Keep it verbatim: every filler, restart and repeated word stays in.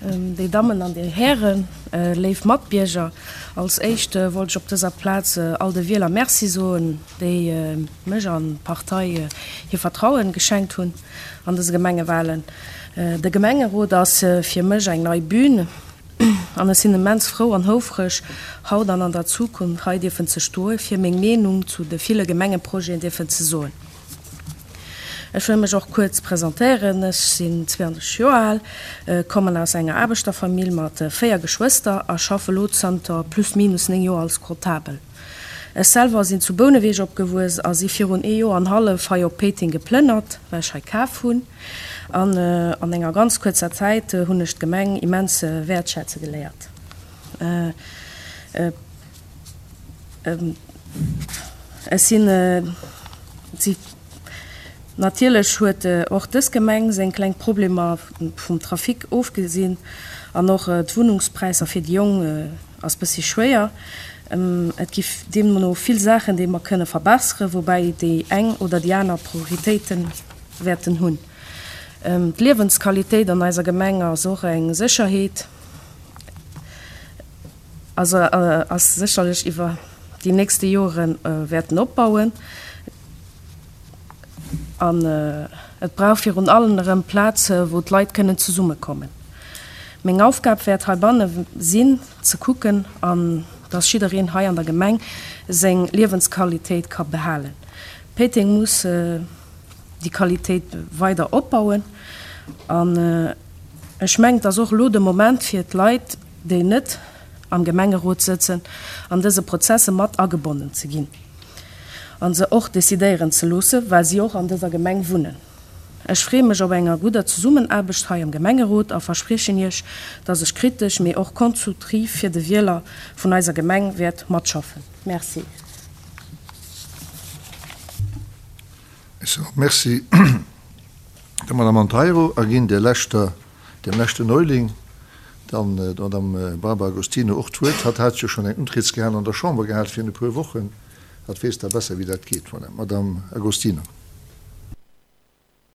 Déi Dammen an déi Hären, léif Matbierger, als éischt wollt ech op dëser Plaz all de Wieler Merci soen, déi mech an d'Partei hir Vertrauen geschenkt hunn an dëse Gemengewahlen. De Gemengerot ass fir mech eng nei Bühn an ech sinn immens frou an houfreg, haut an an der Zukunft hei dierfen ze stoe fir meng Meenung zu de ville Gemengeprojeten dierfen ze soen. Ech wëll mech och kuerz presentéieren. Ech sinn zweeëndrësseg Joer al, kommen aus enger Aarbechterfamill mat véier Geschwëster a schaffe lo zanter plus minus néng Joer als Comptabel. Ech selwer sinn zu Bouneweg opgewuess a si virun ee Joer an hallef hei op Péiteng geplënnert, well ech hei kaf hunn. An an enger ganz kuerzer Zäit hunn ech d'Gemeng immens wäertschätze geléiert. Ech sinn. Natierlech huet och dës Gemeng seng kleng Problemer, vum Trafic ofgesinn, an och d'Wunnungspräisser fir déi Jong ass bëssi schwéier. Et gi deemno vill Saachen, déi mer kënne verbesseren, woubäi déi eng oder déi aner Prioritéite wäerten hunn. D'Liewensqualitéit an eiser Gemeng ass och eng Sécherheet, also ass sécherlech iwwer déi nächste Jore wäerten opbauen. An et brauch virun allem erëm Plaze wou d'Leit kënnen zesummekommen. Meng Aufgab wäert heibanne sinn, ze kucken, an dass jiddereen hei an der Gemeng seng Liewensqualitéit ka behalen. Péiteng muss déi Qualitéit weider opbauen. An ech mengen, et ass och elo de Moment fir d'Leit, déi net am Gemengerot sëtzen, an dëse Prozesse mat agebonnen ze ginn a se och decidéieren ze loosse, well si och an dëser Gemeng wunnen. Ech freeë mech op enger gudder Zesummenaarbecht hei am Gemengerot a verspriechen Iech, dass ech kritesch, mee och konstruktiv fir de Wieler vun eiser Gemeng wäert matschaffen. Merci. Ech soen och Merci der Madame Monteiro a ginn der leschter, dem leschten Neuling, dann der Madame Barbara Agostino och d'Wuert. Hatt hat jo schonn eng Untrietskehal an der Chamber gehat virun e puer Wochen. Hatt weess da besser, wéi dat geet. Voilà, Madame Agostino.